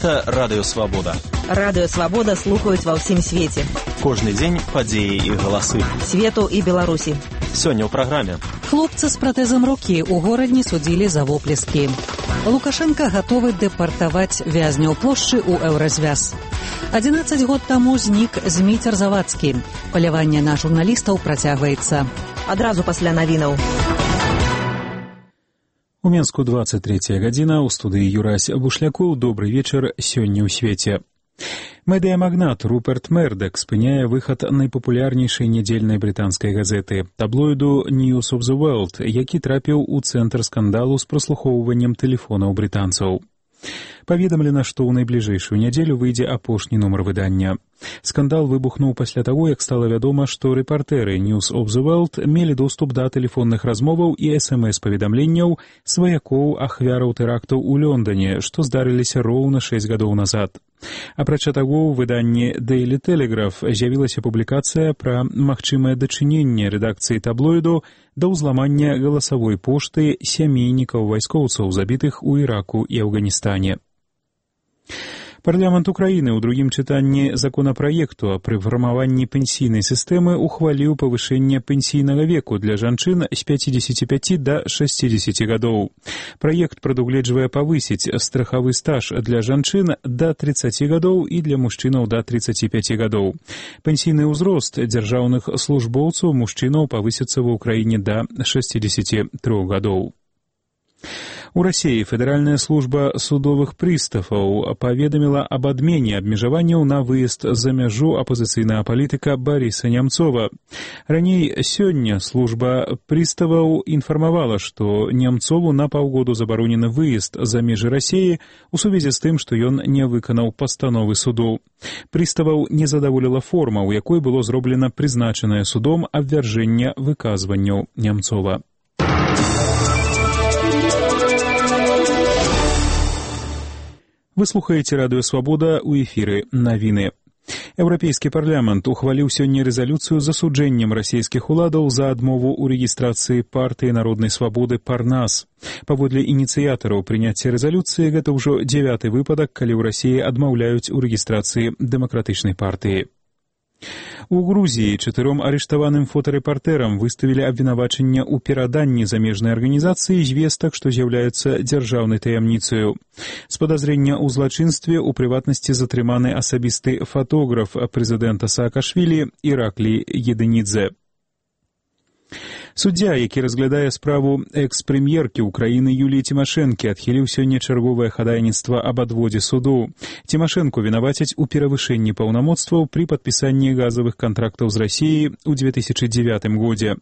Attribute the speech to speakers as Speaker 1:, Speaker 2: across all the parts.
Speaker 1: Гэта Радыё Свабода.
Speaker 2: Радыё Свабода слухаюць ва ўсім свеце.
Speaker 1: Кожны дзень падзеі і галасы.
Speaker 2: Свету і Беларусі.
Speaker 1: Сёння ў праграме.
Speaker 3: Хлопцы з пратэзам рукі ў горадні судзілі за воплескі. Лукашенко гатовы дэпартаваць вязняў плошчы ў Еўразвяз. 11 год таму знік Зміцер Завадскі. Паляванне на журналістаў працягваецца.
Speaker 2: Адразу пасля навінаў.
Speaker 4: У Менску 23 гадзіна, у студыі Юрась Бушлякоў. Добрый вечар сёння ў свеце. Медыямагнат Руперт Мердак спыняе выхад найпапулярнейшай нядзельнай брытанскай газеты таблоіду News of the World, які трапіў у цэнтр скандалу з праслухоўваннем тэлефонаў брытанцаў. Паведамлена, што ў найбліжэйшую нядзелю выйдзе апошні нумар выдання. Скандал выбухнуў пасля таго, як стала вядома, што рэпартэры News of the World мелі доступ да тэлефонных размоваў і СМС-паведамленняў сваякоў ахвяраў тэрактаў у Лондоне, што здарыліся роўна 6 гадоў назад. Апрача таго, ў выданні Daily Telegraph з'явілася публікацыя пра магчымае дачыненне рэдакцыі таблоіду да ўзламання галасавой пошты сямейнікаў вайскоўцаў, забітых у Іраку і Афганістане. Парламент Украіны ў другім чытанні законапраекту пры фармаванні пенсійнай сістэмы ухваліў павышэнне пенсійнага веку для жанчын з 55 да 60 гадоў. Праект прадугледжвае павысіць страхавы стаж для жанчын да 30 гадоў і для мужчынаў да 35 гадоў. Пенсійны ўзрост дзяржаўных службоўцаў мужчынаў павысіцца ва ўкраіне да 63 гадоў. У Расіі Федэральная служба судовых прыстаўаў паведаміла аб адмене абмежаванняў на выезд за мяжу апазіцыйнага палітыка Барыса Нямцова. Раней сёння служба прыставаў інфармавала, што Нямцову на паўгоду забаронены выезд за межы Расіі у сувязі з тым, што ён не выканаў пастановы суду. Прыставаў не задаволіла форма, у якой было зроблена прызначанае судом абвяржэнне выказванняў Нямцова. Вы слухаеце Радыё Свабода, у эфіры навіны. Еўрапейскі парламент ухваліў сёння рэзалюцыю з асуджэннем расійскіх уладаў за адмову ў рэгістрацыі партыі народнай свабоды «Парнас». Паводле ініцыятараў прыняцця рэзалюцыі, гэта ўжо 9-й выпадак, калі ў Расіі адмаўляюць у рэгістрацыі дэмакратычнай партыі. У Грузіі 4 арыштаваным фотарэпартэрам выставілі абвінавачанне ў пераданні замежнай арганізацыі звестак, што з'яўляюцца дзяржаўнай таямніцаю. З падазрення ў злачынстве ў прыватнасці затрыманы асабісты фатограф прэзідэнта Саакашвілі Іраклі Едынідзе. Суддзя, які разглядае справу экс-прэм'еркі ўкраіны Юліі Цімашэнкі, адхіліў сёння чарговае хадайніцтва аб адводзе суду. Цімашэнку вінавацяць у перавышэнні паўнамоцтваў пры падпісанні газавых кантрактаў з Расіяй у 2009 годзе.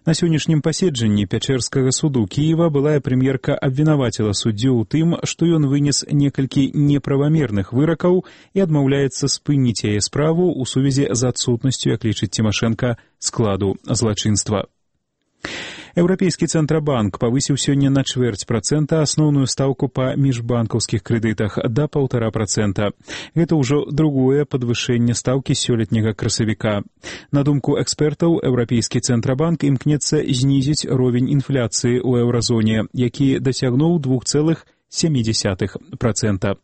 Speaker 4: На сённяшнім паседжанні Пячэрскага суду Кіева былая прэм'ерка абвінаваціла суддзю ў тым, што ён вынес некалькі неправамерных выракаў і адмаўляецца спыніць яе справу ў сувязі з адсутнасцю, як лічыць Цімашэнка, складу злачынства. Еўрапейскі цэнтрабанк павысіў сёння на 0,25% асноўную стаўку па міжбанкаўскіх крэдытах да 1,5%. Гэта ўжо другое падвышэнне стаўкі сёлетняга красавіка. На думку экспертаў, Еўрапейскі цэнтрабанк імкнецца знізіць ровень інфляцыі ў еўразоне, які дасягнуў 2,7%.